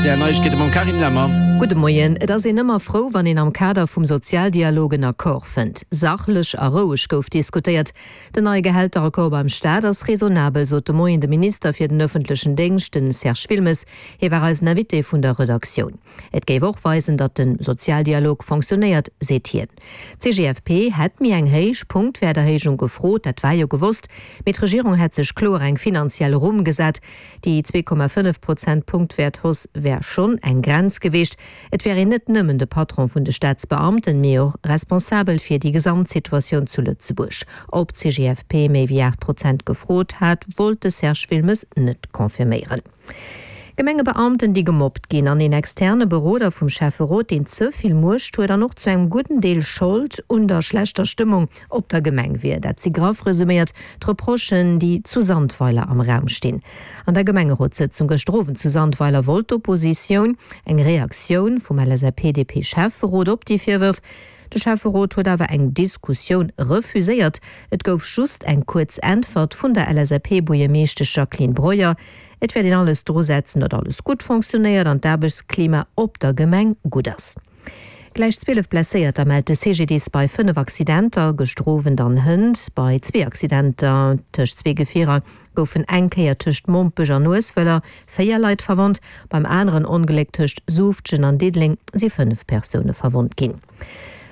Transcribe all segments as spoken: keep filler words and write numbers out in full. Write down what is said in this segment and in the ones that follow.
R T L Neiegkeete mam Carine Lemmer. Gudde Moien. Et ass een ëmmer frou, wann een am Kader vum Sozialdialog en Accord fënnt. Sachlech a roueg gouf diskutéiert. Den neie Gehälteraccord beim Staat ass raisonnabel, sot de Moien de Minister fir den ëffentlechen Déngscht, den Serge Wilmes. Hie war eisen Invité vun der Redaktioun. Et géif och weisen, datt de Sozialdialog fonctionnéiert, seet hien. D'C G F P hätt méi eng héich Punktwäerterhéijung gefrot, dat war jo gewosst, mee d'Regierung hätt sech kloer eng finanziell Rumm gesat. Déi zwee Komma fënnef Prozent Punktwäerthausse wär schonn eng Grenz gewiescht. Et wär een net nëmmen de Patron vun de Staatsbeamten, mee och responsabel fir déi Gesamtsituatioun zu Lëtzebuerg. Ob d'C G F P méi wéi aacht Prozent gefrot hat, wollt de Serge Wilmes net confirméieren. Gemengebeamten, déi gemobbt ginn, an een externe Beroder vum Schäfferot, deen ze vill Muecht huet an och zu engem gudden Deel Schold un der schlechter Stëmmung op der Gemeng wier. Dat si graff resuméiert d'Reprochen, déi zu Sandweiler am Raum stinn. An der Gemengerotssëtzung gëschter Owend zu Sandweiler wollt d'Oppositioun eng Reaktioun vum L S A P D P-Schäfferot op déi Virwërf. De Schäfferot huet awer eng Diskussioun refuséiert. Et gouf just eng kuerz Äntwert vun der L S A P-Buergermeeschtesch Jacqueline Breuer, Et wäert een alles drusetzen, datt alles gutt fonctionnéiert an d'Aarbechtsklima op der Gemeng gutt ass. Gläich zwielef Blesséierter mellt de C G D I S bei fënnef Accidenter gëschter Owend an hënt. Bei zwee Accidenter tëscht zwee Gefierer goufen eng Kéier tëscht Mompech an Ueswëller véier Leit verwonnt. Beim aneren Ongléck tëscht Suuftgen an Diddeleng si fënnef Persoune verwonnt ginn.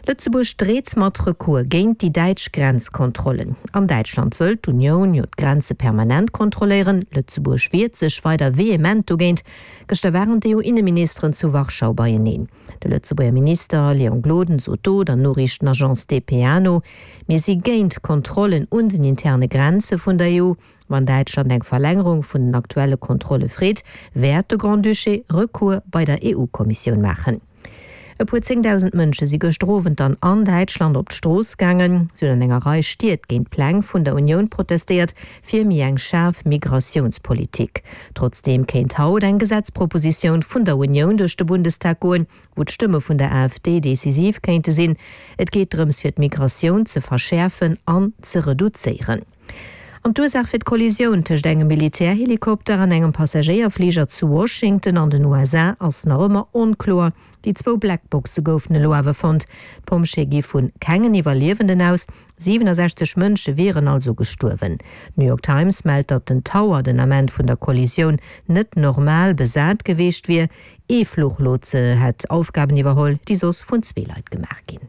Lëtzebuerg dreet mat Recours géint déi däitsch Grenzkontrollen. An Däitschland wëllt d'Unioun jo d'Grenze permanent kontrolléieren. Lëtzebuerg wiert sech weider vehement dogéint. Gëschter waren d'E U-Inneministeren zu Warschau beieneen. De Lëtzebuerger Minister Léon Gloden sot do der Noriichtenagence D P A no, Mir si géint Kontrollen un den interne Grenze vun der E U. Wann Däitschland eng Verlängerung vun den aktuelle Kontrolle freet, wäert de Grand-Duché Recours bei der E U-Kommissioun maachen. E puer zéngdausend Mënsche si gëschter Owend dann an Däitschland op d'Strooss gaangen. Si hunn an enger Rei Stied géint d'Pläng vun der Unioun protestéiert fir méi eng schaarf Migratiounspolitik. Trotzdeem kéint haut eng Gesetzpropositioun vun der Unioun duerch de Bundestag goen, wou d'Stëmme vun der A F D decisiv kéinte sinn. Et geet drëms fir d'Migratioun ze verschäerfen an ze reduzéieren. An d'Ursaach fir d'Kollisioun tëscht engem Militärhelikopter an engem Passagéierfliger zu Washington an den U S A ass nach ëmmer onkloer. Déi zwou Blackboxe goufen elo awer fonnt. D'Pompjeeë gi vu kengen Iwwerliewenden aus. siwennesechzeg Mënsche wieren also gestuerwen. D'New York Times mellt, datt den Tower den Ament vun der Kollisioun net normal besat gewiescht wier. Ee Fluchlotse hätt Aufgaben iwwerholl, déi soss vun zwee Leit gemaach ginn.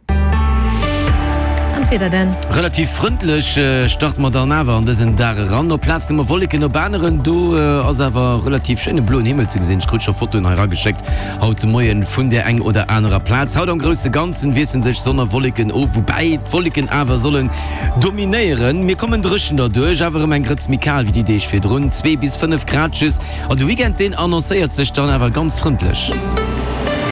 An d'Wieder dann. Relativ frëndlech starte mer dann awer an dësen Dag eran. Op Plazen hu mer Wolleken, op aneren do ass awer relativ schéine bloen Himmel ze gesinn. Ech krut scho Fotoen hei erageschéckt haut de Moien vun där eng oder anerer Plaz. Haut am grousse Ganzen wiesselen sech Sonn a Wolleken of, woubäi d'Wolleken awer sollen dominéieren. Mir kommen dréchen derduerch, awer erëm eng Grëtz méi kal wéi déi Deeg virdrun, zwee bis fënnef Grad just. An de Weekend deen annoncéiert sech dann awer ganz frëndlech.